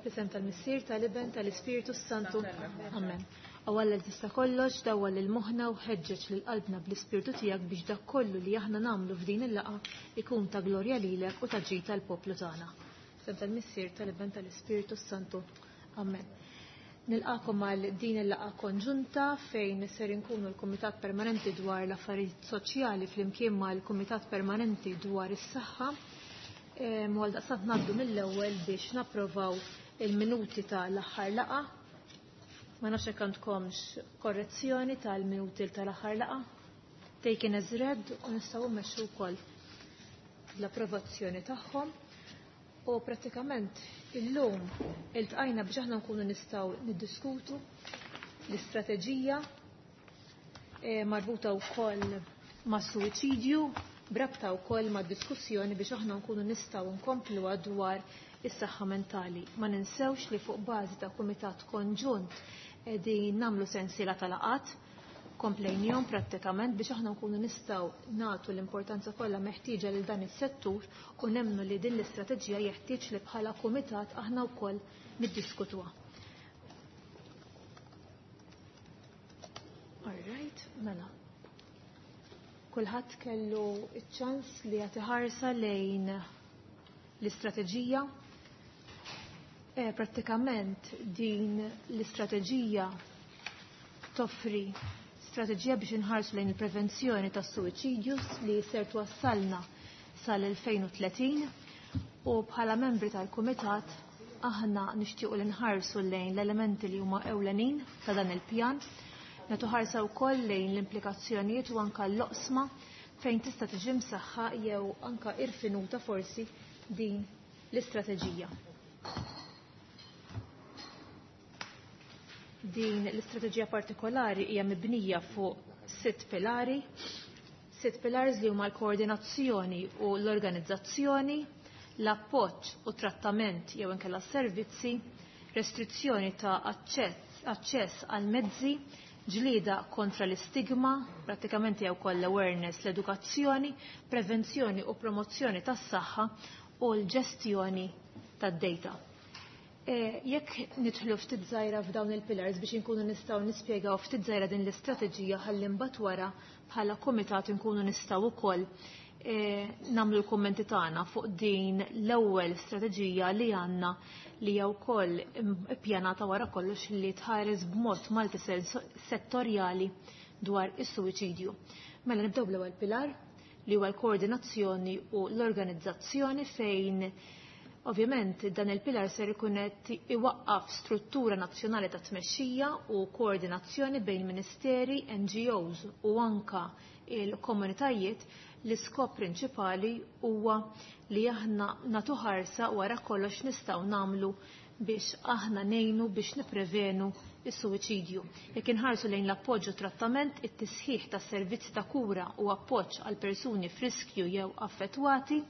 F'isem tal-Missier, tal-Iben, tal-Ispirtu Santu. Amen. O Alla tista' kollox, dawwal lil moħħna u ħeġġeġ lil qalbna bl-Ispirtu tiegħek biex dak kollu li aħna nagħmlu f'din il-laqgħa ikun ta' glorja lilek u ta' ġid tal-poplu tagħna. F'isem tal-Missier, tal-Iben, tal-Ispirtu Santu. Amen. Nilqakom għal din il-laqgħa konġunta fejn ser inkunu l-Kumitat Permanenti dwar l-Affarijiet Soċjali flimkien mal-Kumitat Permanenti dwar is-Saħħa. U għaldaqstant ngħaddu mill-ewwel biex napprovaw il-minuti ta' l-aħħar laqgħa. Ma nafx hekk għandkomx korrezzjoni tal-minuti tal-aħħar laqgħa. Taken as read u nistgħu mmexxu wkoll l-approvazzjoni tagħhom. U prattikament illum iltqajna biex aħna nkunu nistgħu niddiskutu l-istrateġija marbuta wkoll ma' suwiċidju b'rabta wkoll ma' diskussjoni biex aħna nkunu nistgħu nkompluha dwar is-saħħa mentali. Ma ninsewx li fuq bażi ta' kumitat konġunt qegħdin nagħmlu sensiela ta' laqgħat komplejnihom prattikament biex aħna nkunu nistgħu nagħtu l-importanza kollha meħtieġa lil dan is-settur u nemmnu li din l-istrateġija jeħtieġ li bħala kumitat aħna wkoll niddiskutuha. All right, mela. Kulħadd kellu ċ-ċans li jagħti ħarsa lejn l-istrateġija. Prattikament din l-istrateġija toffri strateġija biex inħarsu lejn il-prevenzjoni tas-suwiċidju li ser twassalna sal-2030 u bħala membri tal-Kumitat aħna nixtiequ li nħarsu lejn l-elementi li huma ewlenin ta' dan il-pjan, nagħtu ħarsa wkoll lejn l-implikazzjonijiet u anka l-oqsma fejn tista' tiġi msaħħa jew anka irfinuta forsi din l-istrateġija. Din l-istrateġija partikolari hija mibnija fuq sitt pilari, sitt pillars li huma l-koordinazzjoni u l-organizzazzjoni, l-appoġġ u trattament jew inkella servizzi, restrizzjoni ta' aċċess għal mezzi, ġlieda kontra l-istigma, prattikament jew koll awareness, l-edukazzjoni, prevenzjoni u promozzjoni tas-saħħa u l-ġestjoni tad-data. Jekk nidħlu ftit żgħira f'dawn il-pillars biex inkunu nistgħu nispjegaw ftit żgħira din l-istrateġija ħalli mbagħad wara bħala kumitat inkunu nistgħu wkoll nagħmlu l-kummenti tagħna fuq din l-ewwel strateġija li għandna li hija wkoll ippjanata wara kollox li tħares b'mod multisettorjali dwar is-suwiċidju. Mela nibdew bl-ewwel pilar li huwa l-koordinazzjoni u l-organizzazzjoni fejn ovvjament dan il-pilar ser ikun qed iwaqqaf struttura nazzjonali ta' tmexxija u koordinazzjoni bejn ministeri, NGOs u anka il-komunitajiet. L-iskop prinċipali huwa li aħna nagħtu ħarsa wara kollox nistgħu nagħmlu biex aħna ngħinu biex nipprevenu is-suwiċidju. Jekk inħarsu lejn l-appoġġ u trattament, it-tisħiħ ta' servizzi ta' kura u appoġġ għal persuni f'riskju jew affettwati,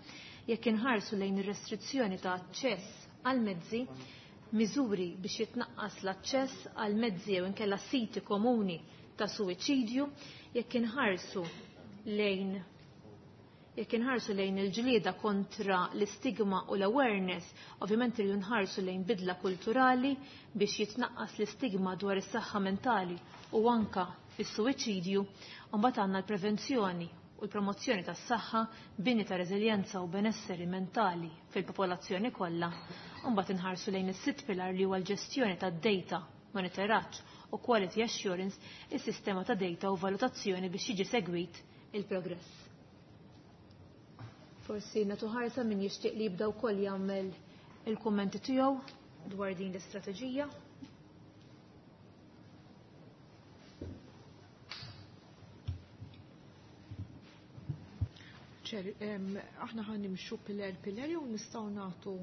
jekk inħarsu lejn ir-restrizzjoni ta' aċċess għal mezzi, miżuri biex jitnaqqas l-aċċess għal mezzi jew inkella siti komuni ta' suwiċidju, jekk inħarsu lejn il-ġlieda kontra l-istigma u l-awareness, ovvjament irridu nħarsu lejn bidla kulturali biex jitnaqqas l-istigma dwar is-saħħa mentali u anka is-suwiċidju, u mbagħad għandna l-prevenzjoni u l-promozzjoni tas-saħħa, bini ta' reżiljenza u benesseri mentali fil-popolazzjoni kollha, u mbagħad inħarsu lejn is-sitt pilar li huwa l-ġestjoni tad-data, monitoraġġ u quality assurance, is-sistema ta' data u valutazzjoni biex jiġi segwit il-progress. Forsi nagħtu ħarsa min jixtieq li jibda wkoll jagħmel il-kummenti tiegħu dwar din l-istrateġija. Ċer, aħna ħa nimxu pillar pillar jew nistgħu nagħtu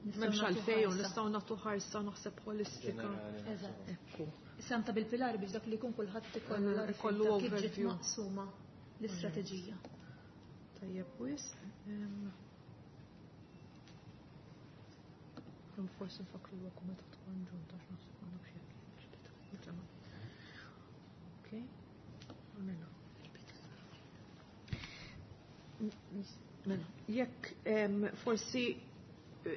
m'hemmx għalfejn jew nistgħu nagħtu ħarsa naħseb ħolistika. Eżatt. Ekku. Issa bil-pilar biex dak li jkun kulħadd ikollu ikollu overview maqsuma l-istrateġija. Tajjeb wis. Forsi nfakru huwa kumitat konġunt għax naħseb ma nafx jekk. Okej. Mela. Mela, jekk forsi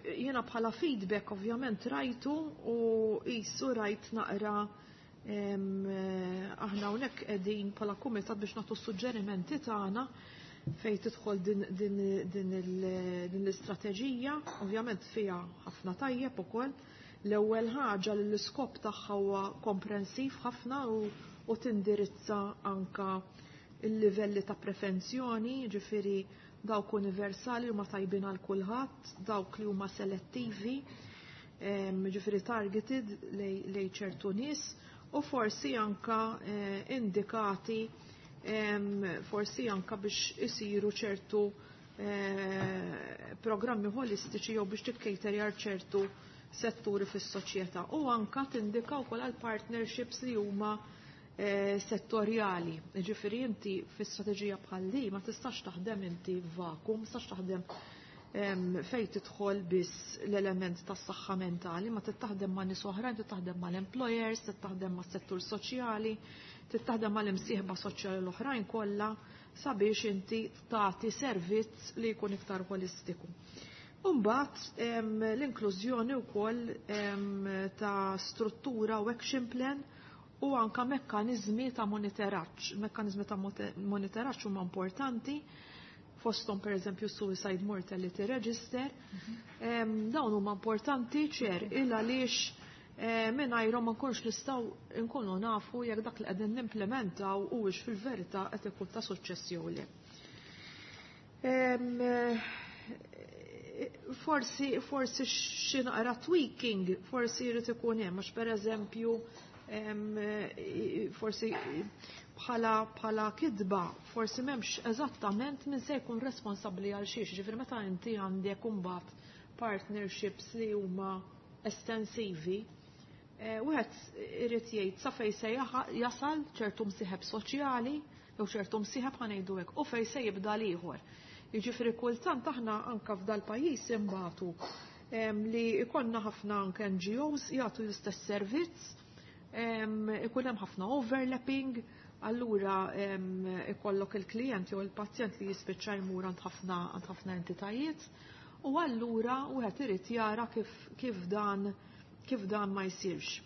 Jiena bħala feedback ovvjament rajtu u qisu rajt naqra aħna hawnhekk qegħdin bħala kumitat biex nagħtu suġġerimenti tagħna fejn tidħol din l-istrateġija, ovvjament fiha ħafna tajjeb ukoll. L-ewwel ħaġa li l-iskop tagħha huwa komprensiv ħafna u tindirizza anka il-livelli ta' prevenzjoni, ġifieri dawk universali huma tajbin għal kulħadd, dawk li huma selettivi, ġifieri targeted lej ċertu nies u forsi anka indikati forsi anka biex isiru ċertu programmi holistiċi jew biex tikkejterjar ċertu setturi fis-soċjetà u anka tindika wkoll għal partnerships li huma settorjali. Ġifieri inti fi strateġija bħal di ma tistax taħdem inti f'vacuum, tistax taħdem fejn tidħol biss l-element tas-saħħa mentali, ma tittaħdem ma' nies oħrajn, tittaħdem mal-employers, tittaħdem mas-settur soċjali, tittaħdem mal-imsieħba soċjali l-oħrajn kollha sabiex inti tagħti servizz li jkun iktar holistiku. Umbagħad l-inklużjoni wkoll ta' struttura u action plan u anka mekkaniżmi ta' monitoraġġ. Mekkaniżmi ta' monitoraġġ huma importanti fosthom per eżempju Suicide Mortality Register. Dawn huma importanti ċer il għaliex mingħajrhom ma nkunx nistgħu nkunu nafu jekk dak li qegħdin nimplementaw huwiex fil-verità qed ikun ta' suċċess jew le. Forsi xi naqra tweaking forsi jrid ikun hemm għax pereżempju forsi bħala kidba forsi m'hemmx eżattament min se jkun responsabbli għal xiex, ġifieri meta inti għandek imbagħad partnerships li huma estensivi, wieħed irid jgħid sa fejn se jasal ċertu msieħeb soċjali jew ċertu msieħeb ħa ngħidu hekk u fejn se jibda l-ieħor. Jiġifieri kultant aħna anke f'dal-pajjiż imbagħtu li jkollna ħafna anke NGOs jagħtu l-istess servizz, ikun hemm ħafna overlapping, allura ikollok il-klijent jew il-pazjent li jispiċċa jmur għand ħafna entitajiet u allura wieħed irid jara kif dan ma jsirx.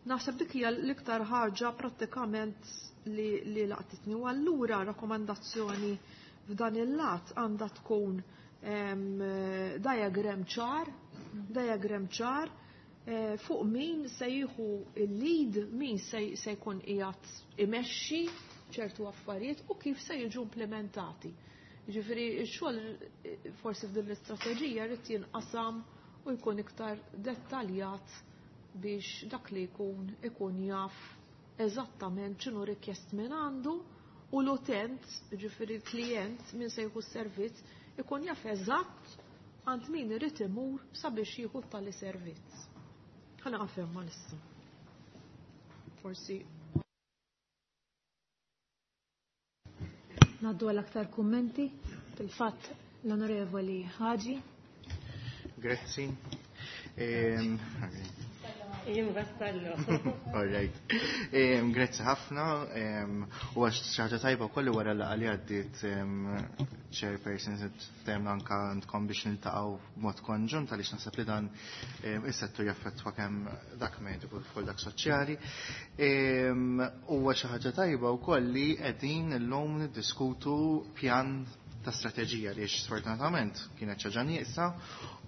Naħseb dik hija l-iktar ħaġa prattikament li laqtitni u allura rakkomandazzjoni f'dan il-lat għandha tkun diagram ċar fuq min se jieħu il-lead, min se jkun qiegħed imexxi ċertu affarijiet u kif se jiġu implementati. Jiġifieri x-xogħol forsi f'din l-istrateġija jrid jinqasam u jkun iktar dettaljat biex dak li jkun ikun jaf eżattament x'inhu rikjest minn għandu u l-utent, jiġifieri l-klijent min se jieħu s-servizz, ikun jaf eżatt għand min irid imur sabiex jieħu tali servizz. Ħana għafem ma nissa. Forsi. Naddu għal aktar kummenti. Fil-fatt l-Onorevoli Ħaġi. Grazzi. Jien vassallu. All right. Grazzi ħafna. U għax xi ħaġa tajba wkoll wara l-laqgħa li għaddiet chairperson temna anka għandkom biex niltaqgħu b'mod konġunt għaliex naħseb li dan is-settur jaffettwa kemm dak mediku kif ukoll dak soċjali. Huwa xi ħaġa tajba wkoll li qegħdin illum niddiskutu pjan ta' strateġija li sfortunatament kienet ħaġa nieqsa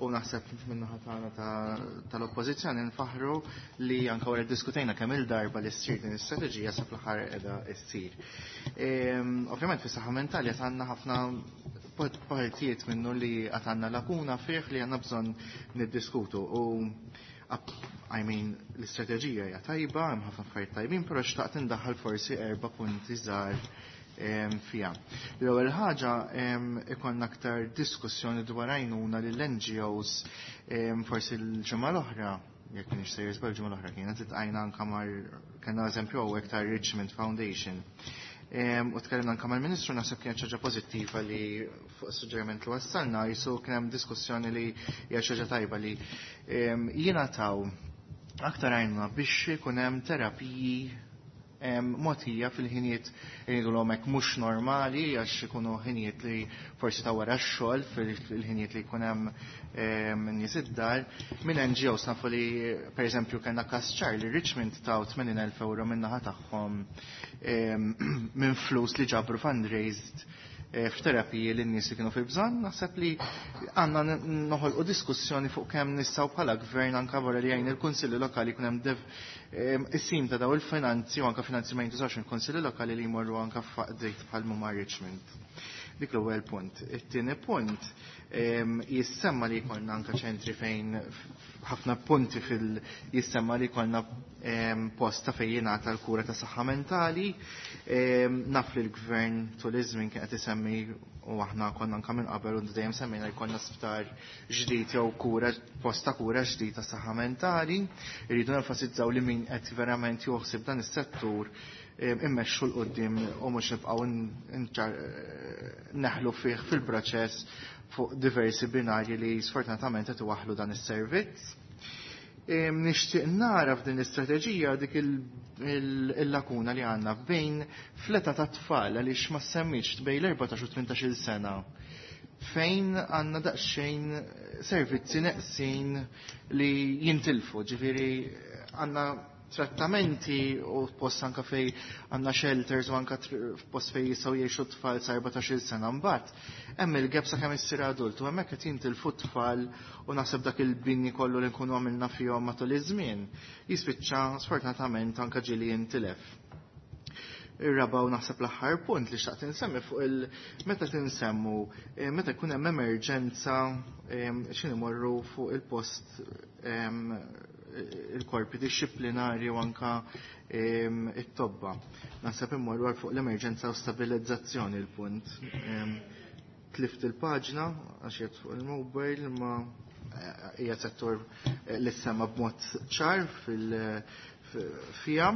u naħseb min-naħa tagħna tal-oppożizzjoni nfaħru li anke wara ddiskutejna kemm il-darba li ssir din is-strateġija sa fl-aħħar qiegħda ssir. Ovvjament fis-saħħa mentali qed għandna ħafna partijiet minnu li qed għandna lakuna fih li għandna bżonn niddiskutu u I mean, l-istrateġija hija tajba, hemm ħafna affarijiet tajbin, però xtaqt indaħħal forsi 4 punti żgħar fija. L-ewwel ħaġa ikollna aktar diskussjoni dwar għajnuna lill-NGOs forsi l-ġimgħa l-oħra, jekk m'iniex sejjer żball ġimgħa l-oħra kienet itqajna anke mar kellna eżempju hawnhekk ta' Richmond Foundation. U tkellimna anke mal-Ministru naħseb kienet xi ħaġa pożittiva li fuq suġġeriment li wassalna jisu kien hemm diskussjoni li hija xi ħaġa tajba li jingħataw aktar għajnuna biex ikun hemm terapiji mogħtija fil-ħinijiet jgħidulhom hekk mhux normali għax ikunu ħinijiet li forsi ta' wara x-xogħol fil-ħinijiet li jkun hemm nies id-dar. Minn NGOs nafu li pereżempju kellna każ ċar li Richmond taw 80,000 euro min-naħa tagħhom minn flus li ġabru fundraised f'terapiji lin nies li kienu fil-bżonn, naħseb li għandna noħolqu diskussjoni fuq kemm nistgħu bħala gvern anke wara li jgħin il-Kunsilli Lokali jkun hemm is-sim ta' daw il-finanzi u anke finanzi ma jintużawx il-Kunsilli Lokali li jmorru anke f'qdiet bħal huma Richmond. Dik l-ewwel punt. It-tieni punt jissemma li jkollna anke ċentri fejn ħafna punti fil jissemma li jkollna post ta' fejn jingħata l-kura ta' saħħa mentali. Naf li l-gvern tul iż-żmien kien qed isemmi u aħna konna anke minn qabel u dejjem semmejna jkollna sptar ġdid jew kura post ta' kura ġdid ta' saħħa mentali. Irridu nenfasizzaw li min qed verament joħsib dan is-settur immexxu 'l quddiem u mhux nibqgħu neħlu fih fil-proċess fuq diversi binarji li sfortunatament qed iwaħħlu dan is-servizz. Nixtieq nara f'din l-istrateġija dik il-lakuna li għandna bejn fleta ta' tfal għaliex ma semmix bejn l-14 u 18-il sena fejn għandna daqsxejn servizzi neqsin li jintilfu, ġifieri għandna trattamenti u post anka fej għandna shelters u anka post fej jistgħu jgħixu tfal sa 14-il sena mbagħad. Hemm il-gap sa kemm issir adult u hemmhekk qed jintilfu tfal u naħseb dak il-bini kollu li nkunu għamilna fihom matul iż-żmien jispiċċa sfortunatament anka ġieli jintilef. Ir-raba' u naħseb l-aħħar punt li xtaqt insemmi fuq il meta tinsemmu meta jkun hemm emerġenza x'in imorru fuq il-post il-korpi dixxiplinari u anka it-tobba. Naħseb immorru għal fuq l-emerġenza u stabilizzazzjoni l-punt. Tlift il-paġna għax jgħid fuq il-mobile ma hija settur li sema b'mod ċar fija.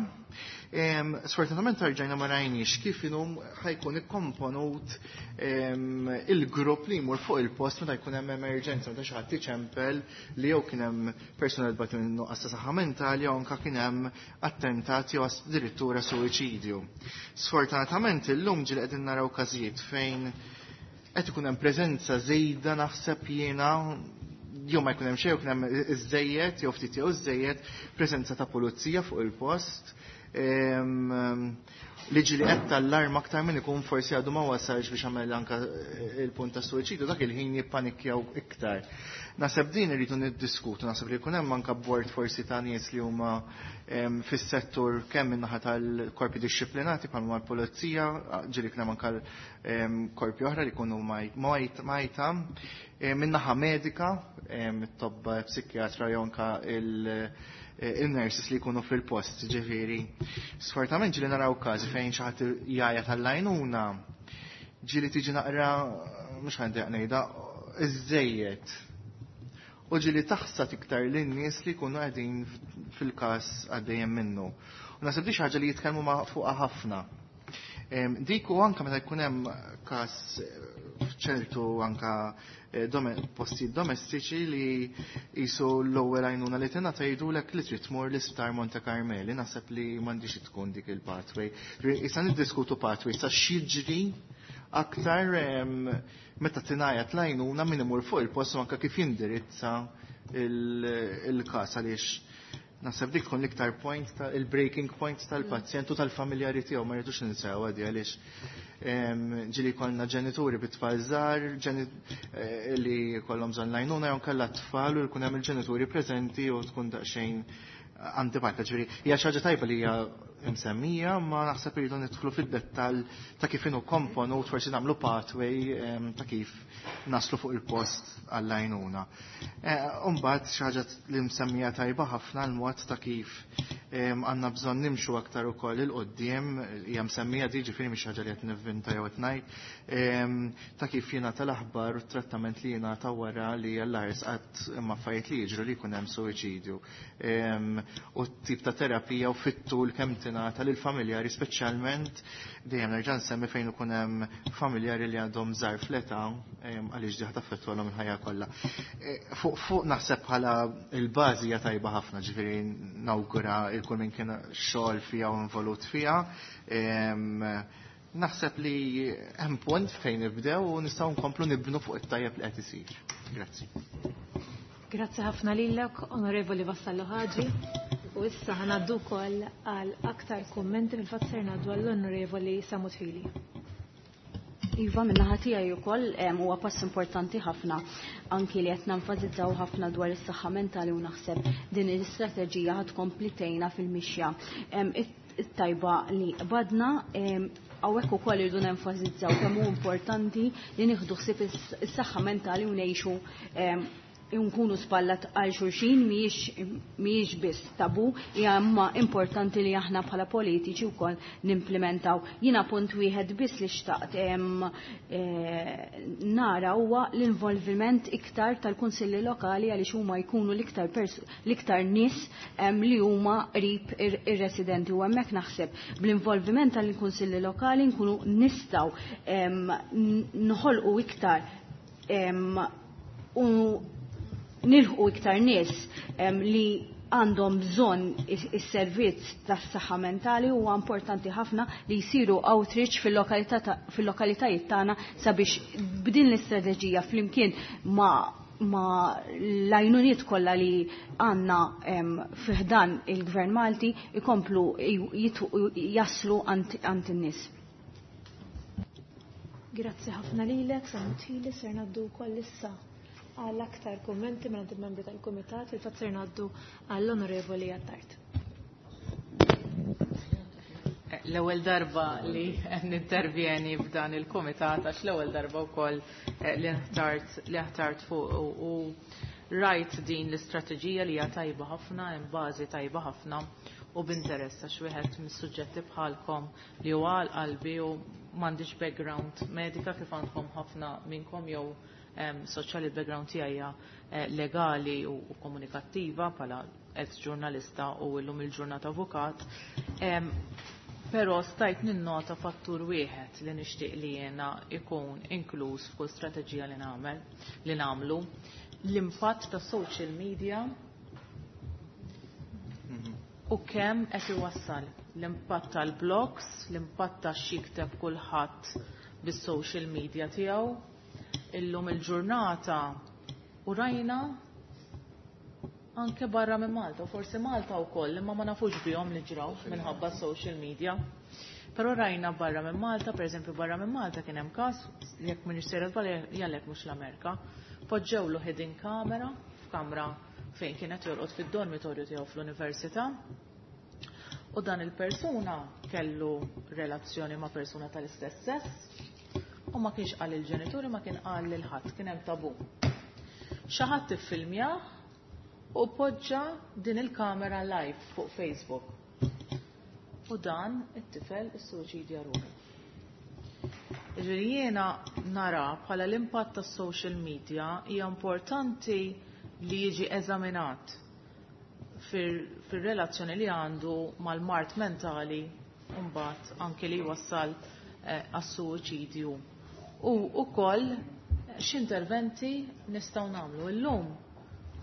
Sfortunatament rġajna ma rajniex kif inhom ħajkun ikkomponut il-grupp li jmur fuq il-post meta jkun hemm emerġenza meta xi ħadd iċempel li jew kien hemm persuna li tbati minn nuqqas ta' saħħa mentali jew anke kien hemm attentat jew addirittura suwiċidju. Sfortunatament illum ġieli qegħdin naraw każijiet fejn qed ikun hemm preżenza żejda naħseb jiena jew ma jkun hemm xejn, jkun hemm iżejjed jew ftit jew iżejjed preżenza ta' pulizija fuq il-post. Li ġieli qed tal-arm aktar minn ikun forsi għadu ma wasalx biex għamel anka il-punt ta' suwiċidju, dak il-ħin jippanikjaw iktar. Naħseb din irridu niddiskutu, naħseb li jkun hemm anka bord forsi ta' nies li huma fis-settur kemm min-naħa tal-korpi dixxiplinati bħal mal pulizija, ġieli kien hemm anka korpi oħra li jkunu majta, min-naħa medika, it-tobba psikjatra jew anka il-nurses li jkunu fil-post, ġifieri. Sfortunatament ġieli naraw każi fejn xi ħadd jgħajja tal-lajnuna, ġieli tiġi naqra, mhux ħa ngħidha, iżejjed. U ġieli taħsad iktar lin-nies li jkunu qegħdin fil-każ għaddejjem minnu. U naħseb di xi ħaġa li jitkellmu ma' fuqha ħafna. Dik u anka meta jkun hemm każ f'ċertu anka postijiet domestiċi li jisu l-ewwel għajnuna li tingħata jgħidulek li trid tmur l-isptar Monte Carmeli, naħseb li m'għandix tkun dik il-pathway. Issa niddiskutu pathway sa x'jiġri aktar meta tingħajat l-għajnuna min imur fuq il-post u anke kif jindirizza il-każ għaliex naħseb dik tkun l-iktar point il-breaking point tal-pazjent u tal-familjari tiegħu ma rridux ninsew għadi għaliex ġieli kollna ġenituri bit-tfal żgħar li kollhom bżonn l-għajnuna jew kellha tfal u jkun hemm il-ġenituri preżenti u tkun daqsxejn antipatika. Ġifieri hija xi ħaġa tajba li hija msemmija, ma naħseb irridu nidħlu fid-dettall ta' kif inhu komponut, forsi nagħmlu pathway ta' kif naslu fuq il-post għall-għajnuna. Umbagħad xi ħaġa li msemmija tajba ħafna l-mod ta' kif għandna bżonn nimxu aktar ukoll il-qudiem, hija msemmija di ġifieri mhix ħaġa li qed nivvinta jew qed ngħid, ta' kif jingħata l-aħbar u t-trattament li jingħata wara li l-ars qatt imma affarijiet li jiġru li jkun hemm suwiċidju. U t-tip ta' terapija u fit-tul kemm tingħata tingħata lil familjari, speċjalment dejjem nerġa' nsemmi fejn ikun hemm familjari li għandhom żgħar fl-età, għaliex diħa taffettwalhom il-ħajja kollha. Fuq naħseb bħala il-bażi hija tajba ħafna, ġifieri nawgura il kull min kien xogħol fiha u involut fiha. Naħseb li hemm punt fejn nibdew u nistgħu nkomplu nibnu fuq it-tajjeb li qed isir. Grazzi. Grazzi ħafna lilek, Onorevoli Vassallo Ħaġi. U issa ħanaddu wkoll għal aktar kummenti, fil-fatt ser ngħaddu għall-Onorevoli Sammut Hili. Iva, min-naħa tiegħi wkoll huwa pass importanti ħafna anki li qed nenfasizzaw ħafna dwar is-saħħa mentali u naħseb din l-istrateġija ħad tkompli tgħinna fil-mixja. It-tajba li badna hawnhekk ukoll irridu nenfasizzaw kemm hu importanti li nieħdu ħsieb is-saħħa mentali u ngħixu nkunu spallat għal xulxin, mhijiex biss tabu, hija imma importanti li aħna bħala politiċi wkoll nimplementaw. Jiena punt wieħed biss li xtaqt nara huwa l-involviment iktar tal-kunsilli lokali, għaliex huma jkunu l-iktar nies li huma qrib ir-residenti, u hemmhekk naħseb bl-involviment tal-kunsilli lokali nkunu nistgħu noħolqu iktar u nilħqu iktar nies li għandhom bżonn is-servizz tas-saħħa mentali. Huwa importanti ħafna li jsiru outreach fil-lokalitajiet tagħna sabiex b'din l-istrateġija flimkien ma l-għajnuniet kollha li għandna fi ħdan il-Gvern Malti ikomplu jaslu għand in-nies. Grazzi ħafna lilek, Sammut Hili, ser ngħaddu wkoll issa għal aktar kummenti minn il-membri tal-Kumitat, il-fatt ser ngħaddu għall-Onorevoli Attard. L-ewwel darba li nintervjeni f'dan il-kumitat, għax l-ewwel darba wkoll li ħtart fuq u rajt din l-istrateġija li hija tajba ħafna, hemm bażi tajba ħafna u b'interess għax wieħed mis-suġġetti bħalkom li huwa għal qalbi u m'għandix background medika kif għandkom ħafna minnkom jew soċjali, background tiegħi hija legali u komunikattiva bħala ex-ġurnalista u llum il-ġurnata avukat. Però stajt ninnota fattur wieħed li nixtieq li jiena ikun inkluż f'kull strateġija li nagħmel, li nagħmlu, l-impatt ta' social media u kemm qed iwassal l-impatt tal-blogs, l-impatt ta' x'jikteb kulħadd bis-social media tiegħu. Illum il-ġurnata u rajna anke barra minn Malta, u forsi Malta wkoll, imma ma nafux bihom li ġraw minħabba social media. Però rajna barra minn Malta, per eżempju barra minn Malta kien hemm każ, jekk m'iniex sejra żball, jgħalhekk mhux l-Amerika, poġġewlu hidden camera f'kamra fejn kienet jorqod fid-dormitorju tiegħu fl-università. U dan il-persuna kellu relazzjoni ma' persuna tal-istess sess u ma kienx qal il-ġenituri, ma kien qal lil ħadd, kien hemm tabu. Xi ħadd iffilmjah u poġġa din il-kamera live fuq Facebook. U dan it-tifel issuċidja ruħu. Ġifieri jiena nara bħala l-impatt tas-social media hija importanti li jiġi eżaminat fir-relazzjoni li għandu mal-mard mentali u mbagħad anke li jwassal għas-suwiċidju. U wkoll x'interventi nistgħu nagħmlu illum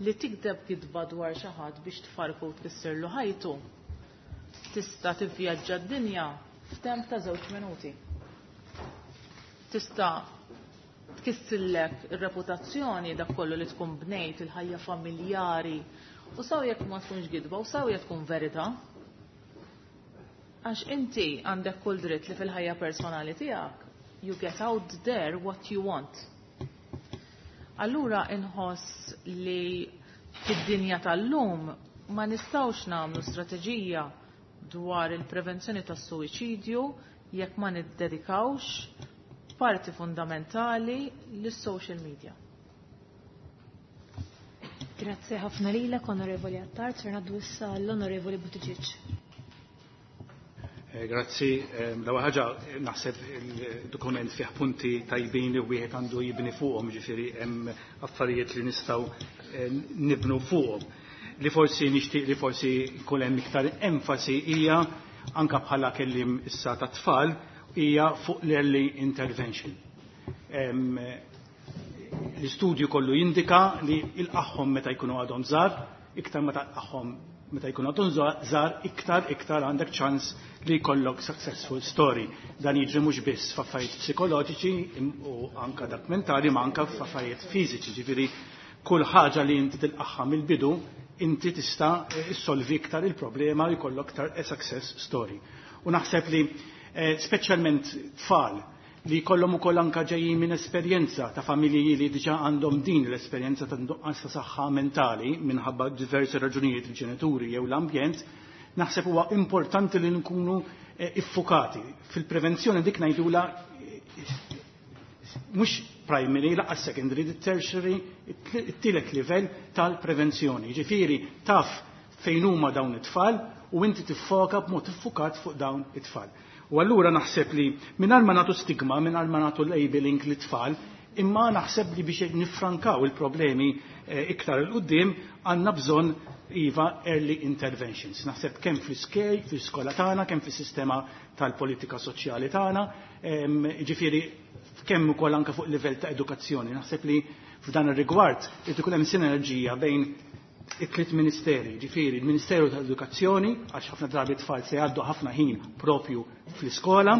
li tikdeb kitba dwar xi ħadd biex tfarku u tkissirlu ħajtu. Tista' tivvjaġġa d-dinja f'temp ta' 2 minuti. Tista' tkissillek ir-reputazzjoni dak kollu li tkun bnejt, il-ħajja familjari, u saw jekk ma tkunx gidba u saw jekk tkun verità. Għax inti għandek kull dritt li fil-ħajja personali tiegħek you get out there what you want. Allura inħoss li fid-dinja tal-lum ma nistgħux nagħmlu strateġija dwar il-prevenzjoni tas-suwiċidju jekk ma niddedikawx parti fundamentali lis-social media. Grazie ħafna lilek, Onorevoli Attard. Ser ngħaddu issa l-Onorevoli Buttigieg. Grazzi. L-ewwel ħaġa naħseb il-dokument fih punti tajbin li wieħed għandu jibni fuqhom, ġifieri hemm affarijiet li nistgħu nibnu fuqhom. Li forsi nixtieq li forsi jkun hemm iktar enfasi hija anka bħala kellim issa ta' tfal hija fuq l-early intervention. L-istudju kollu jindika li il-qaħħom meta jkunu għadhom żgħar, iktar meta tqaħħom meta jkunu għadhom żgħar, iktar iktar għandek ċans li jkollok successful story. Dan jiġri mhux biss f'affarijiet psikoloġiċi u anka dak mentali, ma anka f'affarijiet fiżiċi, ġifieri kull ħaġa li inti tilqaħħa mill-bidu inti tista' issolvi iktar il-problema u jkollok iktar a success story. U naħseb li speċjalment tfal li jkollhom ukoll anka ġejjin minn esperjenza ta' familji li diġà għandhom din l-esperjenza ta' nuqqas ta' saħħa mentali minħabba diversi raġunijiet il-ġenituri jew l-ambjent, naħseb huwa importanti li nkunu iffukati. Fil-prevenzjoni dik ngħidula mhux primary, laqas secondary, tertiary, it-tielet livell tal-prevenzjoni. Ġifieri taf fejn huma dawn it-tfal u inti tiffoka b'mod iffukat fuq dawn it-tfal. U allura naħseb li mingħajr ma nagħtu stigma, mingħajr ma nagħtu labeling lit-tfal, imma naħseb li biex nifrankaw il-problemi iktar 'il quddiem għandna bżonn iva early interventions. Naħseb kemm fl-iskej, fl-iskola tagħna, kemm fis-sistema tal-politika soċjali tagħna, ġifieri kemm ukoll anke fuq livell ta' edukazzjoni. Naħseb li f'dan ir-rigward irid ikun hemm sinerġija bejn it-tliet ministeri, ġifieri il-Ministeru tal-Edukazzjoni, għax ħafna drabi tfal se jgħaddu ħafna ħin propju fl-iskola,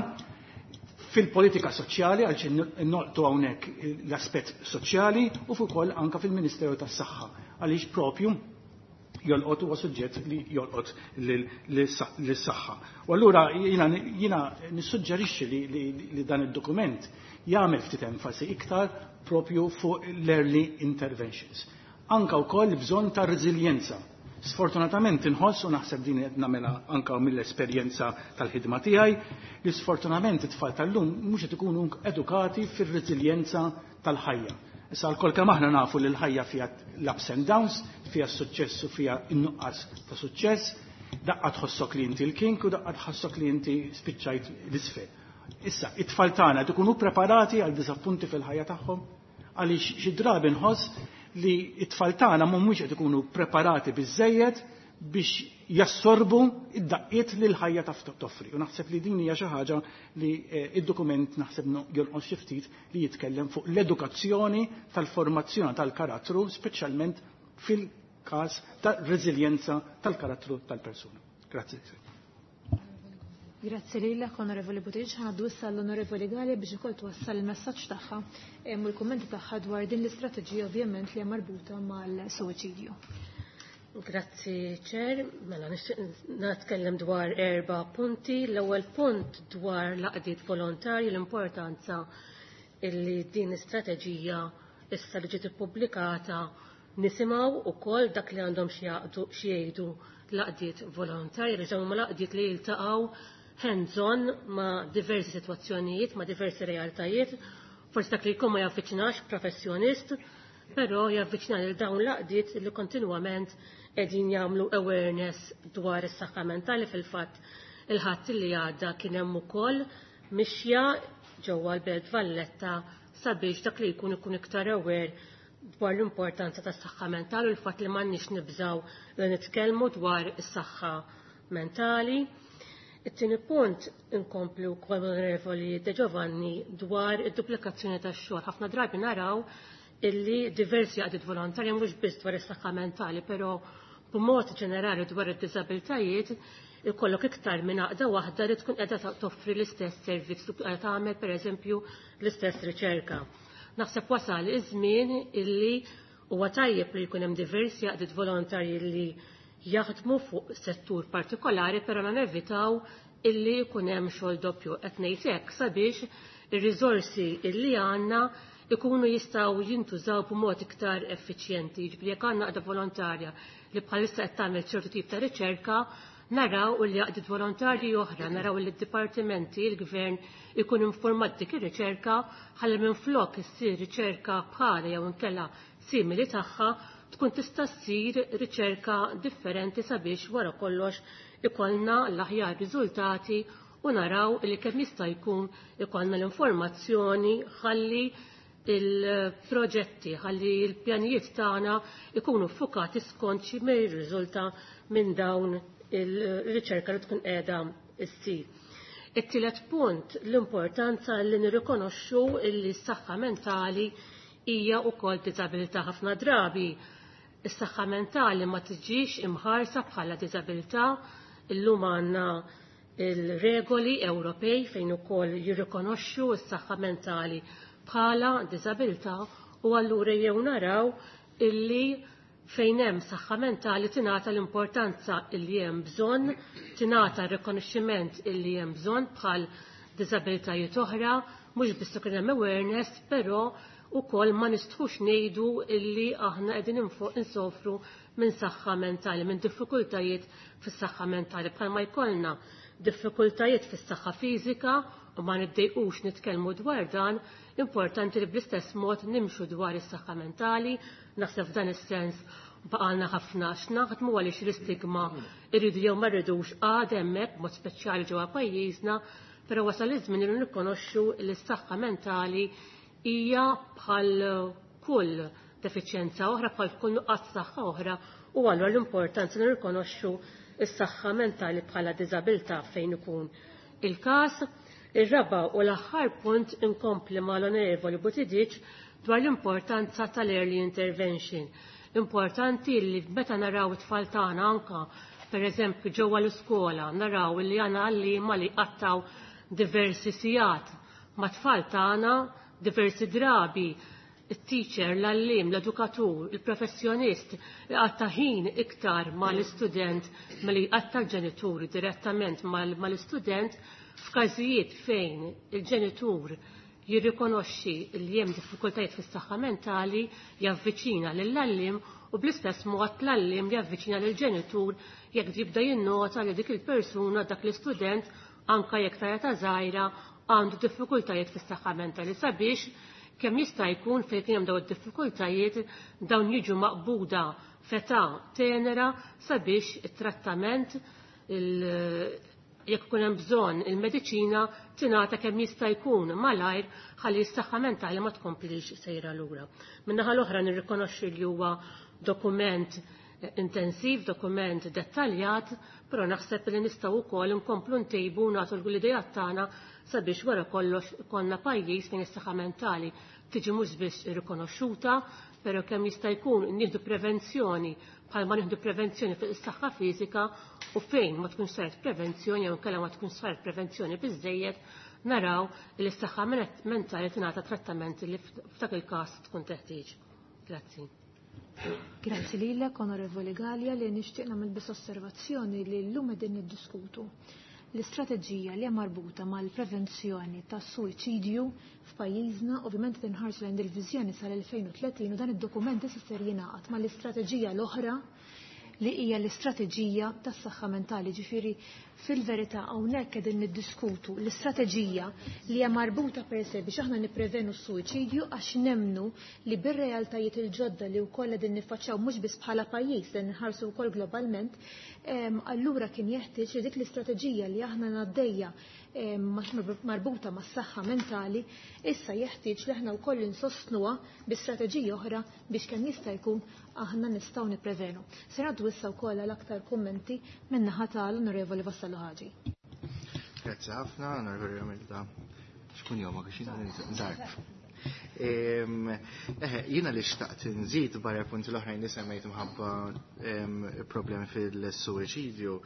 fil-politika soċjali, għaliex nolqtu hawnhekk l-aspett soċjali, u ukoll anke fil-Ministeru tas-Saħħa, għaliex propju jolqot huwa suġġett li jolqot lis-saħħa. U allura jiena nissuġġerixxi li dan id-dokument jagħmel ftit enfasi iktar propju fuq l-early interventions. Anka wkoll bżonn ta' reżiljenza. Sfortunatament inħoss u naħseb din qed nagħmilha anka mill-esperjenza tal-ħidma tiegħi li sfortunatament it-tfal tal-lum mhux qed ikunu edukati fir-reżiljenza tal-ħajja. Issa lkoll kemm aħna nafu li l-ħajja fiha l-ups and downs, fiha s-suċċess u fiha n-nuqqas ta' suċċess, daqqa tħossok li inti l-king u daqqa tħossok li inti spiċċajt l-isfel. Issa, it-tfal tagħna qed ikunu preparati għal diżappunti fil-ħajja tagħhom, għaliex xi drabi nħoss li t-tfal tagħna mhumiex qed ikunu preparati biżejjed biex jassorbu id-daqqiet li l-ħajja taf toffri. U naħseb li din hija xi ħaġa li id-dokument naħseb jonqos xi ftit li jitkellem fuq l-edukazzjoni tal-formazzjoni tal-karattru, speċjalment fil-każ ta' reżiljenza tal-karattru tal-persuna. Grazzi. Grazzi lilek, Onorevoli Buttigieg. Ħanaddu issa l-Onorevoli Galea biex ukoll twassal il-messaġġ tagħha u l-kummenti tagħha dwar din l-istrateġija ovvjament li hija marbuta mal-suwiċidju. Grazzi, Chair. Mela, nixtieq nitkellem dwar 4 punti. L-ewwel punt dwar l-għaqdiet volontarji, l-importanza illi din l-istrateġija issa li ġiet ippubblikata nisimgħu wkoll dak li għandhom xi jgħidu l-għaqdiet volontarji, li huma l-għaqdiet li jiltaqgħu hands-on ma' diversi sitwazzjonijiet, ma' diversi realtajiet. Forsi dak li jkun ma javviċinax professjonist, però javviċina lil dawn l-għaqdiet li kontinwament qegħdin jagħmlu awareness dwar is-saħħa mentali. Fil-fatt il-ħadd li għadda kien hemm ukoll mixja ġewwa l-Belt Valletta sabiex dak li jkun ikun iktar aware dwar l-importanza tas-saħħa mentali u l-fatt li m'għandniex nibżgħu li nitkellmu dwar is-saħħa mentali. It-tieni punt inkomplu wkoll Onorevoli De Giovanni dwar id-duplikazzjoni tax-xogħol. Ħafna drabi naraw illi diversi għaqdiet volontarji mhux biss dwar is-saħħa mentali, però b'mod ġenerali dwar id-diżabiltajiet ikollok iktar minn għaqda waħda li tkun qiegħda toffri l-istess servizz, tkun qiegħda tagħmel pereżempju l-istess riċerka. Naħseb wasal iż-żmien illi huwa tajjeb li jkun hemm diversi għaqdiet volontarji li jaħdmu fuq settur partikolari, però nevitaw illi jkun hemm xogħol doppju. Qed ngħid hekk sabiex ir-riżorsi illi għandna ikunu jistgħu jintużaw b'mod iktar effiċjenti. Jiġifieri jekk għandna għaqda volontarja li bħalissa qed tagħmel ċertu tip ta' riċerka, naraw li għaqdiet volontarji oħra, naraw li d-dipartimenti, il-gvern ikun informat dik ir-riċerka ħalli minflok issir riċerka bħala jew inkella simili tagħha tkun tista' ssir riċerka differenti sabiex wara kollox ikollna l-aħjar riżultati u naraw li kemm jista' jkun ikollna l-informazzjoni ħalli il-proġetti, ħalli l-pjanijiet tagħna ikunu ffukati skont xi ma jirriżulta minn dawn il-riċerka li tkun qiegħda issir. It-tielet punt, l-importanza li nirrikonoxxu li s-saħħa mentali hija wkoll diżabilità. Ħafna drabi is-saħħa mentali ma tiġix imħarsa bħala diżabilità. Illum għandna il-regoli Ewropej fejn ukoll jirrikonoxxu s-saħħa mentali bħala diżabilità, u allura jew naraw illi fejn hemm saħħa mentali tingħata l-importanza illi hemm bżonn, tingħata r-rikonoxximent illi hemm bżonn bħal diżabilitajiet oħra, mhux biss ikun hemm awareness, però ukoll ma nistħux ngħidu illi aħna qegħdin insofru minn saħħa mentali, minn diffikultajiet fis-saħħa mentali, bħalma jkollna diffikultajiet fis-saħħa fiżika u ma niddejqux nitkellmu dwar dan, importanti li bl-istess mod nimxu dwar is-saħħa mentali. Naħseb f'dan is-sens baqalna ħafna x'naħdmu għaliex l-istigma irridu jew ma rridux għad hemmhekk, mod speċjali ġewwa pajjiżna, però wasal iż-żmien li nirrikonoxxu li s-saħħa mentali hija bħal kull defiċjenza oħra, bħal kull nuqqas saħħa oħra, u allura l-importanza li nirrikonoxxu s-saħħa mentali bħala diżabilità fejn ikun il-każ. Ir-raba' u l-aħħar punt, inkompli mal-Onorevoli Buttigieg dwar l-importanza tal-early intervention. Importanti li meta naraw it-tfal tagħna anka pereżempju ġewwa l-iskola, naraw li għandna għalliema li qattaw diversi sigħat ma' tfal tagħna, diversi drabi il-teacher, l-għallim, l-edukatur, il-professjonist għatta ħin iktar mal-istudent milli għatta l-ġenitur direttament mal-istudent. F'każijiet fejn il-ġenitur jirrikonoxxi li hemm diffikultajiet fis-saħħa mentali, javviċina lill-għallim, u bl-istess mod l-għallim javviċina lill-ġenitur jekk jibda jinnota li dik il-persuna, dak l-istudent, anka jekk ta' età żgħira, għandu diffikultajiet fis-saħħa mentali, sabiex kemm jista' jkun fejn kien hemm dawn id-diffikultajiet dawn jiġu maqbuda f'età tenera sabiex it-trattament, jekk ikun hemm bżonn il-mediċina, tingħata kemm jista' jkun malajr ħalli s-saħħa mentali ma tkomplix sejra lura. Min-naħa l-oħra nirrikonoxxi li huwa dokument intensiv, dokument dettaljat, però naħseb li nistgħu wkoll inkomplu ntejbu, nagħtu l-idejat tagħna sabiex wara kollox konna pajjiż fejn is-saħħa mentali tiġi mhux biss irrikonoxxuta, però kemm jista' jkun nieħdu prevenzjoni bħalma nieħdu prevenzjoni fuq is-saħħa fiżika, u fejn ma tkunx saret prevenzjoni jew inkella ma tkunx saret prevenzjoni biżejjed, naraw li s-saħħa mentali tingħata trattament li f'dak il-każ tkun teħtieġ. Grazzi. Grazzi lilek, Onorevoli Galea, li nixtieq nagħmel biss osservazzjoni li llum qegħdin niddiskutu l-istrateġija li hija marbuta mal-prevenzjoni tas-suwiċidju f'pajjiżna. Ovvjament tinħarsu lejn il-viżjoni sal-2030, u dan id-dokument issa ser jingħaqad mal-istrateġija l-oħra li hija l-istrateġija tas-saħħa mentali. Ġifieri fil-verità hawnhekk qegħdin niddiskutu l-istrateġija li hija marbuta per se biex aħna nipprevenu s-suwiċidju, għax nemnu li bir-realtajiet il-ġodda li wkoll qegħdin niffaċċjaw mhux biss bħala pajjiż, li nħarsu wkoll globalment, allura kien jeħtieġ li dik l-istrateġija li aħna ngħaddejja marbuta mas-saħħa mentali, issa jeħtieġ li aħna wkoll insostnuha bi strateġija oħra biex kemm jista' jkun aħna nistgħu nipprevenu. Se ngħaddu issa wkoll għal aktar kummenti min-naħa tal-Onorevoli Vassallo Ħaġi. Grazzi ħafna, Onorevoli Romilda. Xkun jomok, x'in zarf. Jiena li xtaqt nżid barra punti l-oħrajn li semmejt mħabba problemi fil-suwiċidju,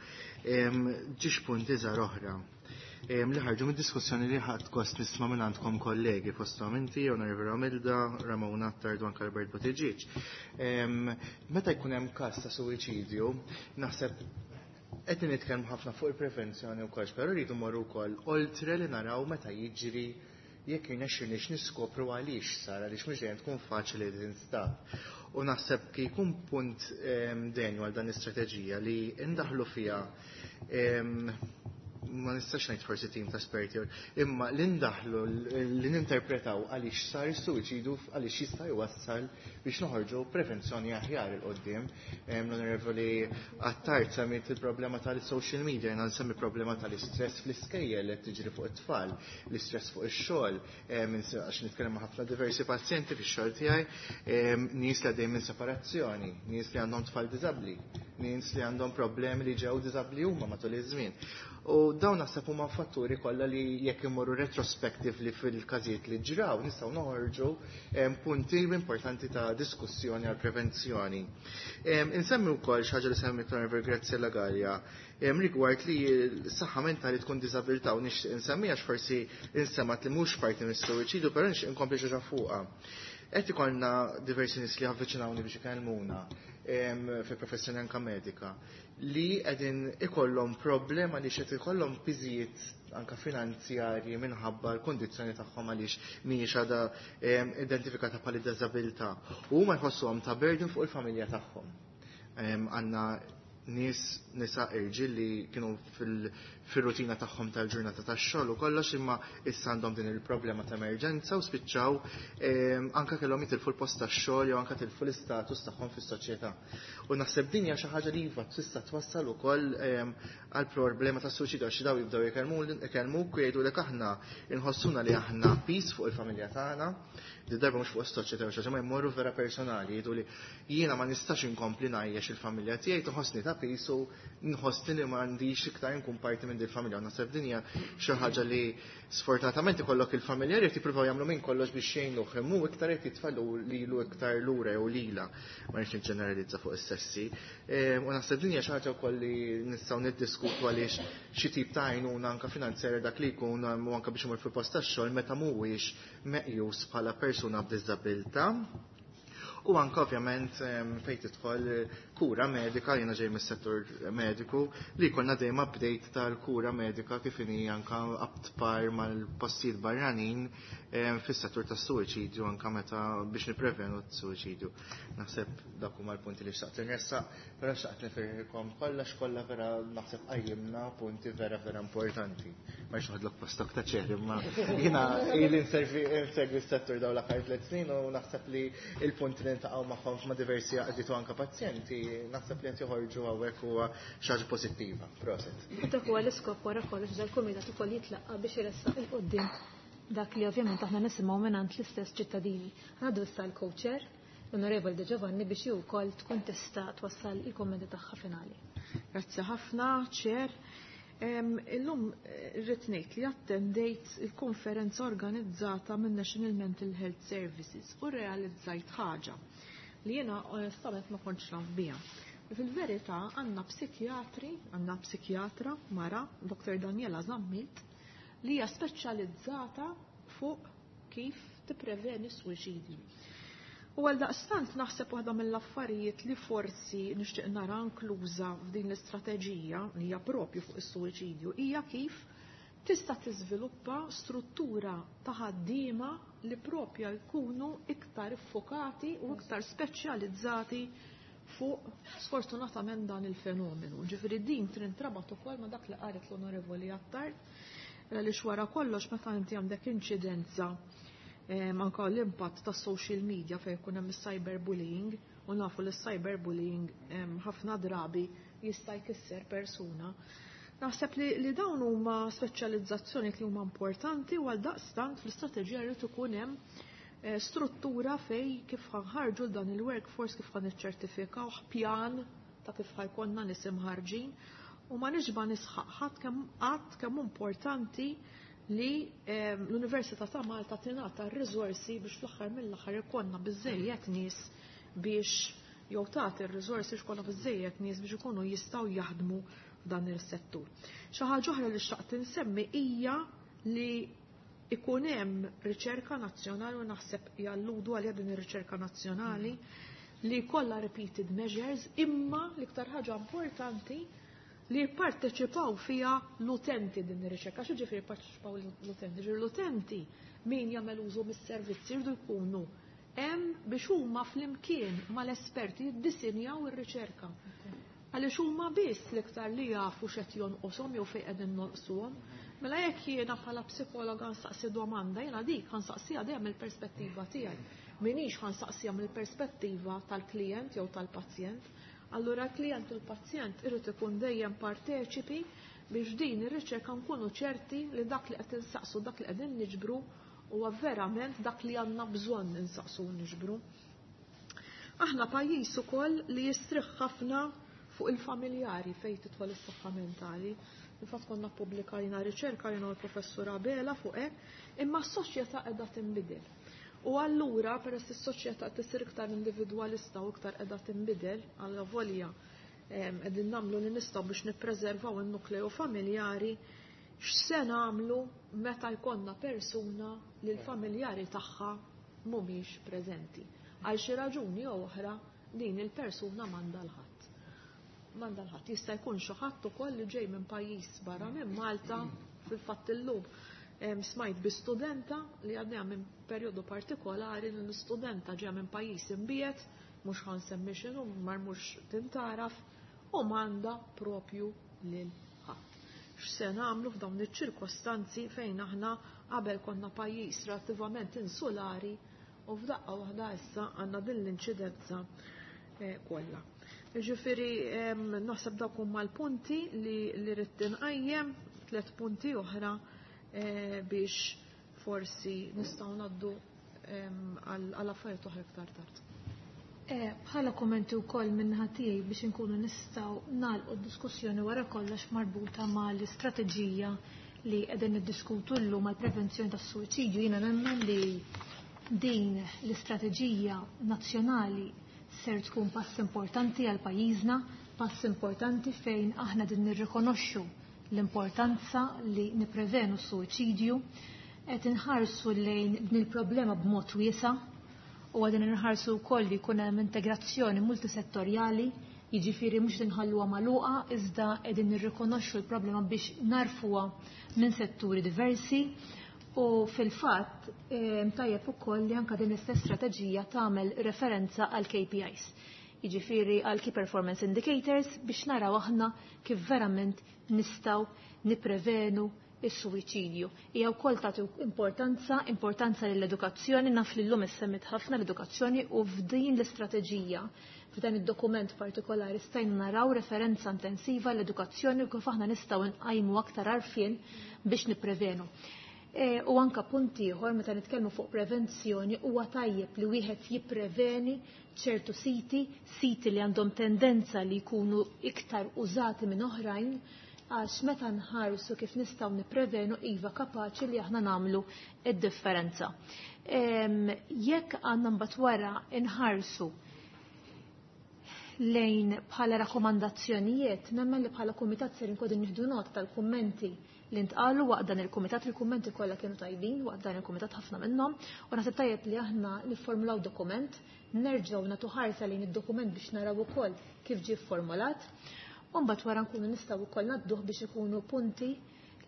ġiex punti żgħar oħra li ħarġu mid-diskussjoni li ħadd gost nisma' minn għandkom kollegi fosthom inti, Onorevoli Romilda, Ramon Attard u anke Albert Buttigieg. Meta jkun hemm każ ta' suwiċidju, naħseb qed nitkellmu ħafna fuq il-prevenzjoni wkoll, però rridu mmorru wkoll oltre li naraw meta jiġri jekk jirnexxilniex niskopru għaliex sar, għaliex mhux dejjem tkun faċli li tinstab. U naħseb ki jkun punt denju għal dan l-istrateġija li ndaħlu fiha, ma nistax ngħid forsi tim ta' esperti, imma li ndaħlu li ninterpretaw għaliex sar is-suwiċidu, għaliex jista' jwassal biex noħorġu prevenzjoni aħjar il qoddim. L-Onorevoli Attard semmiet il-problema tal-social media, jiena nsemmi problema tal-istress fl-iskejjel li tiġri fuq it-tfal, l-istress fuq ix-xogħol, għax nitkellem ma' ħafna diversi pazjenti fix-xogħol tiegħi, nies li għaddejjin minn separazzjoni, nies li għandhom tfal diżabbli. nies li għandhom problemi li ġew diżabbli huma matul iż-żmien. U dawn naħseb huma fatturi kollha li jekk imorru retrospectively fil-każijiet li ġraw nistgħu noħorġu punti importanti ta' diskussjoni għal prevenzjoni. Insemmi wkoll xi ħaġa li semmi Honorable Graziella Gallia rigward li s-saħħa mentali tkun diżabilità u nixtieq insemmi għax forsi insemat li mhux parti mis-suwiċidu, però nixtieq inkompli xi ħaġa fuqha. Qed ikollna diversi nies li avviċinawni biex ikellmuna fil-professjoni anka medika li qegħdin ikollhom problema li qed ikollhom piżijiet anka finanzjarji minħabba l-kondizzjoni tagħhom għaliex mhijiex għadha identifikata bħala diżabilità u huma jħossuhom ta' burden fuq il-familja tagħhom. Għandna nies nisa irġiel li kienu fil-rutina tagħhom tal-ġurnata tax-xogħol u kollox imma issa għandhom din il-problema ta' emerġenza u spiċċaw anka kellhom jitilfu l-post tax-xogħol jew anka tilfu l-istatus tagħhom fis-soċjetà. U naħseb din hija xi ħaġa li iva tista' twassal ukoll għal problema ta' suwiċidju għax daw jibdew ikellmuk u jgħidulek aħna inħossuna li aħna pis fuq il-familja tagħna, di darba mhux fuq is-soċjetà jew xi ħaġa, ma jmorru vera personali jgħidu li jiena ma nistax inkompli ngħajjex il-familja tiegħi toħossni ta' pis u nħossni li m'għandix iktar nkun parti minn din il-familja. Naħseb din hija xi ħaġa li sfortunatament ikollok il-familja qed jippruvaw jagħmlu minn kollox biex jgħinuh imma hu iktar qed jitfallu lilu iktar lura jew lila, ma rridx niġġeneralizza fuq is-sessi. U naħseb din hija xi ħaġa wkoll li nistgħu niddiskutu għaliex xi tip ta' għajnuna anke finanzjarja dak li jkun u anke biex imur fil-post tax-xogħol meta mhuwiex meqjus bħala persuna b'diżabilità. U anke ovvjament fejn tidħol kura medika, jiena ġej mis-settur mediku, li jkollna dejjem update tal-kura medika kif inhi anke up to par mal-postijiet barranin fis-settur tas-suwiċidju anke meta biex nipprevenu s-suwiċidju. Naħseb dak huma l-punti li xtaqt inressaq, però xtaqt nifirħilkom kollha x'kollha vera naħseb qajjimna punti vera vera importanti. Ma rridx noħodlok postok ta' ċer, imma jiena ili nsegwi s-settur dawn l-aħħar 3 snin u naħseb li l-punti li niltaqgħu magħhom ma' diversi għaqdiet u anke pazjenti, naħseb li qed joħorġu hawnhekk huwa xi ħaġa pożittiva. Proset. U dak huwa l-iskop wara kollox dal-kumitat ukoll jitlaqqa biex iressaq il quddiem dak li ovvjament aħna nisimgħu mingħand l-istess ċittadini. Ngħaddu issa l-co-chair, l-Onorevoli De Giovanni, biex hi wkoll tkun tista' twassal il-kummenti tagħha finali. Grazzi ħafna, Chair. Illum irrid ngħid li attendejt il-konferenza organizzata minn National Mental Health Services u realizzajt ħaġa li jiena onestament ma kontx naf biha. Fil-verità għandna psikjatri, għandna psikjatra mara, Dr. Daniela Zammit, li hija speċjalizzata fuq kif tippreveni s-suwiċidju. U għal daqstant naħseb waħda mill-affarijiet li forsi nixtieq nara inkluża f'din l-istrateġija li hija propju fuq is-suwiċidju hija kif tista' tiżviluppa struttura ta' ħaddiema li propja jkunu iktar iffokati u iktar speċjalizzati fuq sfortunatament dan il-fenomenu. Ġifieri din trintrabat ukoll ma' dak li qalet l-Onorevoli Attard, għaliex wara kollox meta inti għandek inċidenza anka l-impatt ta' social media fejn ikun hemm is-cyberbullying, u nafu li s-cyberbullying ħafna drabi jista' jkisser persuna. Naħseb li dawn huma speċjalizzazzjoni li huma importanti u għal daqstant fl-istrateġija jrid ikun hemm struttura fej kif ħanħarġu dan il-workforce, kif ħaniċċertifikaw pjan ta' kif ħajkonna nies imħarġin, u ma nixba nisħaq ħadd kemm qatt kemm importanti li l-Università ta' Malta tingħata r-riżorsi biex fl-aħħar mill-aħħar ikollna biżejjed nies biex jew tagħti r-riżorsi biex ikollna biżejjed nies biex ikunu jistgħu jaħdmu f'dan is-settur. Xi ħaġa oħra li xtaqt insemmi hija li ikun hemm riċerka nazzjonali, u naħseb jalludu għalija din ir-riċerka nazzjonali li kollha repeated measures, imma l-iktar ħaġa importanti li jipparteċipaw fija l-utenti din ir-riċerka. Xi ġifieri jipparteċipaw l-utenti? Ġifieri l-utenti min jagħmel użu mis-servizzi jridu jkunu hemm biex huma flimkien mal-esperti jiddisinjaw ir-riċerka. Għaliex huma biss l-iktar li jafu x'qed jonqoshom jew fejn qegħdin nonqsuhom. Mela jekk jiena bħala psikologa nsaqsi domanda, jiena dik ħansaqsiha dejjem mill-perspettiva tiegħi. Minix ħansaqsiha mill-perspettiva tal-klijent jew tal-pazjent. Allura l-klijent u l-pazjent irid ikun dejjem parteċipi biex din ir-riċerka nkunu ċerti li dak li qed insaqsu, dak li qegħdin niġbru huwa verament dak li għandna bżonn insaqsu u niġbru. Aħna pajjiż ukoll li jistrieħ ħafna Fuq il-familjari fejn tidħol is-saħħa mentali. Infatti konna ppubblikajna riċerka jiena u l-professur Abela fuq hekk, imma s-soċjetà qiegħda tinbidel. U allura peress is-soċjetà qed isir iktar individwalista u iktar qiegħda tinbidel, alla volja qegħdin nagħmlu li nistgħu biex nippreservaw in-nukleu familjari, x'se nagħmlu meta jkollna persuna li l-familjari tagħha mhumiex preżenti. Għal xi raġuni jew oħra din il-persuna m'għandha l-ħadd. M'għandha l-ħadd. Jista' jkun xi ħadd ukoll li ġej minn pajjiż barra minn Malta, fil-fatt illum smajt bi studenta li għaddejja minn perjodu partikolari li l-istudenta ġejja minn pajjiż imbiegħed, mhux ħa nsemmi x'inhu, mar mhux tintaraf, u m'għandha propju lil ħadd. X'se nagħmlu f'dawn iċ-ċirkostanzi fejn aħna qabel konna pajjiż relattivament insulari u f'daqqa waħda issa għandna din l-inċidenza kollha. Ġifieri naħseb dawk huma l-punti li rrid inqajjem, 3 punti oħra biex forsi nistgħu ngħaddu għal affarijiet oħra iktar tard. Bħala kommenti wkoll minn tiegħi biex inkunu nistgħu nagħlqu d-diskussjoni wara kollox marbuta mal-istrateġija li qegħdin niddiskutu llum għall-prevenzjoni tas-suwiċidju, jiena nemmen li din l-istrateġija nazzjonali ser tkun pass importanti għal pajjiżna, pass importanti fejn aħna din nirrikonoxxu l-importanza li nipprevenu s-suwiċidju, qed inħarsu lejn din il-problema b'mod wiesa' u għadin nħarsu wkoll li jkun hemm integrazzjoni multisettorjali, jiġifieri mhux inħalluha magħluqa iżda qegħdin nirrikonoxxu l-problema biex narfuha minn setturi diversi. U fil-fatt tajjeb ukoll li anke din l-istess strateġija tagħmel referenza għal KPIs, jiġifieri għal Key Performance Indicators, biex naraw aħna kif verament nistgħu nipprevenu is-suwiċidju. Hija wkoll tagħti importanza lill-edukazzjoni, naf li llum issemmit ħafna l-edukazzjoni u f'din l-istrateġija, f'dan id-dokument partikolari stajna naraw referenza intensiva l-edukazzjoni u kif aħna nistgħu nqajmu aktar għarfien biex nipprevenu. U anka punt ieħor meta nitkellmu fuq prevenzjoni huwa tajjeb li wieħed jippreveni ċertu siti, siti li għandhom tendenza li jkunu iktar użati minn oħrajn, għax meta nħarsu kif nistgħu nipprevenu iva kapaċi li aħna nagħmlu id-differenza. Jekk għandna mbagħad wara nħarsu lejn bħala rakkomandazzjonijiet, nemmen li bħala kumitat ser inkunu nieħdu nota tal-kummenti li ntqalu waqt dan il-kumitat, il-kummenti kollha kienu tajbin waqt dan il-kumitat ħafna minnhom, u naħseb tajjeb li aħna niffurmulaw dokument, nerġgħu nagħtu ħarsa lejn id-dokument biex naraw ukoll kif ġie fformulat. U mbagħad wara nkunu nistgħu wkoll ngħadduh biex ikunu punti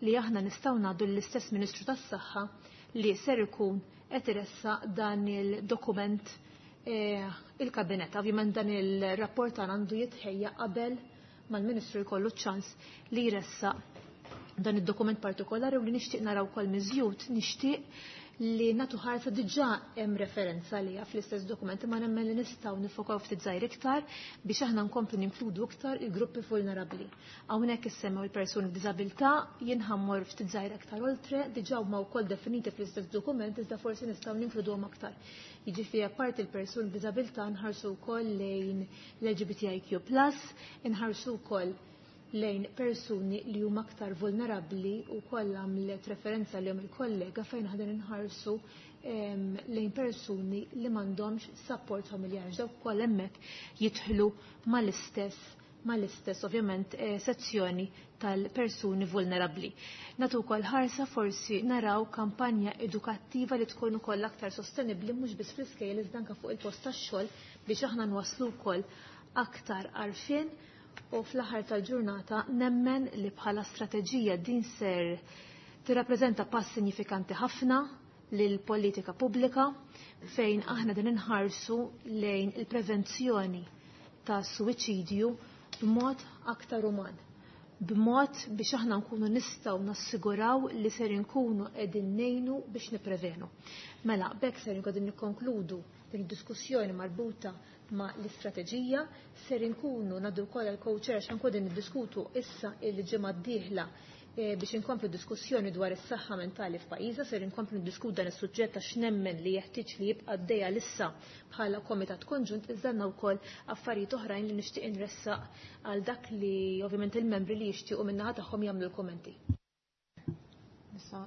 li aħna nistgħu ngħaddu lill-istess Ministru tas-Saħħa li ser ikun qed iressaq dan il-dokument il-kabinett. Ovvjament dan il-rapport tagħna għandu jitħejja qabel mal-Ministru jkollu ċ-ċans li jressaq dan id-dokument partikolari u li nixtieq naraw ukoll miżjud, nixtieq li natu ħarsa diġà hemm referenza għaliha fl-istess dokumenti, ma nemmen li nistgħu nifokaw ftit żgħir iktar biex aħna nkomplu ninkludu iktar il-gruppi vulnerabbli. Hawnhekk issemmew il-persuni b'diżabilità, jien ħammor ftit żgħir aktar oltre, diġà huma wkoll definiti fl-istess dokument iżda forsi nistgħu ninkluduhom aktar. Jiġifieri apparti il-persuni b'diżabilità nħarsu wkoll lejn l-L G B T I Q plus, inħarsu wkoll lejn persuni li huma aktar vulnerabbli u koll għamlet referenza li hom il-kollega fejn ħadin inħarsu lejn persuni li m'għandhomx support familjari. Dawk ukoll hemmhekk jidħlu mal-istess ovvjament sezzjoni tal-persuni vulnerabbli. Natu wkoll ħarsa forsi naraw kampanja edukattiva li tkun ukoll aktar sostenibbli mhux biss fl-iskejjel iżda anke fuq il-post tax-xogħol biex aħna nwasslu wkoll aktar għarfien. U fl-aħħar tal-ġurnata nemmen li bħala strateġija din ser tirrappreżenta pass sinifikanti ħafna lil politika pubblika fejn aħna din inħarsu lejn il-prevenzjoni ta' suwiċidju b'mod aktar uman, b'mod biex aħna nkunu nistgħu nassiguraw li ser inkunu qegħdin ngħinu biex nipprevenu. Mela, b'hekk ser inkunu nikkonkludu din id-diskussjoni marbuta ma' l-istrateġija, ser inkunu ngħaddu wkoll għall-co-chair għax nkunu niddiskutu issa il-ġimgħa d-dieħla biex inkomplu diskussjoni dwar is-saħħa mentali f'pajjiżna, ser inkomplu niddiskutu dan is-suġġett għax nemmen li jeħtieġ li jibqa' għaddejja lissa bħala komitat konġunt, iżda għandna wkoll affarijiet oħrajn li nixtieq inressaq għal dak li ovvjament il-membri li jixtiequ min-naħa tagħhom jagħmlu l-kummenti. Issa,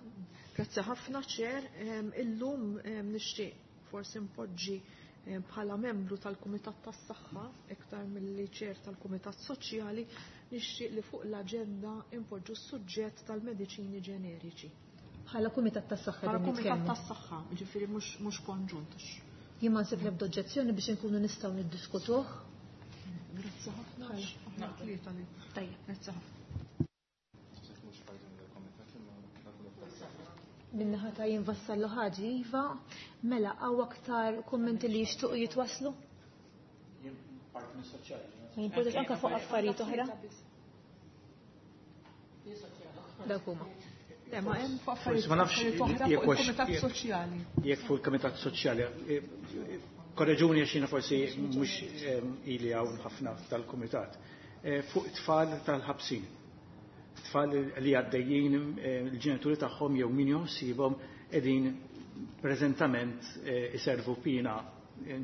grazzi ħafna Chair, illum nixtieq forsi npoġġi bħala membru tal-Kumitat tas-Saħħa iktar milli Chair tal-Kumitat Soċjali, nixtieq li fuq l-aġenda impoġġu s-suġġett tal-mediċini ġeneriċi. Bħala Kumitat tas-Saħħa Bħala qegħdin Kumitat nitkellmu. tas-Saħħa, jiġifieri mhux konġunt. Jien ma nsib l-ebda oġġezzjoni biex inkunu nistgħu niddiskutuh. Grazzi ħafna. Aħna tlieta li. Tajjeb. Grazzi ħafna. Minnaħa ta' jien Vassallo Ħaġi, Iva, mela hawn aktar kummenti li jixtiequ jitwaslu? Jien parti mis-soċjali. Ma jimpurtax anke fuq affarijiet oħra? Dawk huma. Le, ma hemm fuq Forsi ma nafx affarijiet oħra jekk fuq hux- il-Kumitat Soċjali. Jekk fuq il-Kumitat Soċjali, korreġuni għax jiena forsi mhux ili hawn ħafna tal-Kumitat. Fuq it-tfal tal-ħabsin. Tfal li għaddejjin il-ġenituri tagħhom jew min joħsibhom qegħdin preżentament iservu pina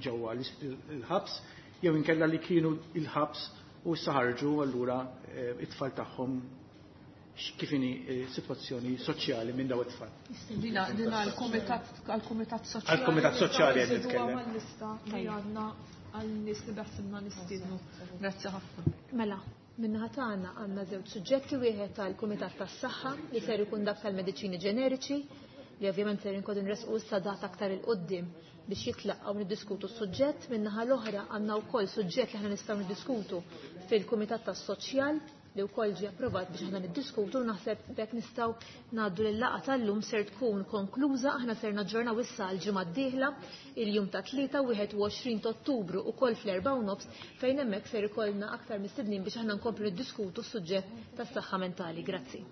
ġewwa l-ħabs jew inkella li kienu il-ħabs u issa ħarġu allura it-tfal tagħhom kif inhi sitwazzjoni soċjali minn daw it-tfal. Dina għall-Kumitat Soċjali. Għall-Kumitat Soċjali qed Nżiduha nitkellem. mal-lista li għandna għal-nies li beħsibna nistiednu. Grazzi ħafna. Mela, min-naħa tagħna għandna żewġ suġġetti, wieħed tal-Kumitat tas-Saħħa li ser ikun dak tal-mediċini ġeneriċi, li ovvjament ser inkodu nresqu issa data aktar il-qoddim biex jitlaqgħu niddiskutu s-suġġett. Min-naħa l-oħra għandna wkoll suġġett li aħna nistgħu niddiskutu fil-Kumitat tas-Soċjal li wkoll ġie approvat biex aħna niddiskutu, u naħseb b'hekk nistgħu ngħaddu lil laqgħa tal-lum ser tkun konkluża. Aħna ser naġġornaw issa għall-ġimgħa d-dieħla, il-jum ta' tlieta, 21 ta' Ottubru ukoll fl-erba' u nofs, fejn hemmhekk ser ikollna aktar mistednin biex aħna nkomplu niddiskutu s-suġġett tas-saħħa mentali. Grazzi.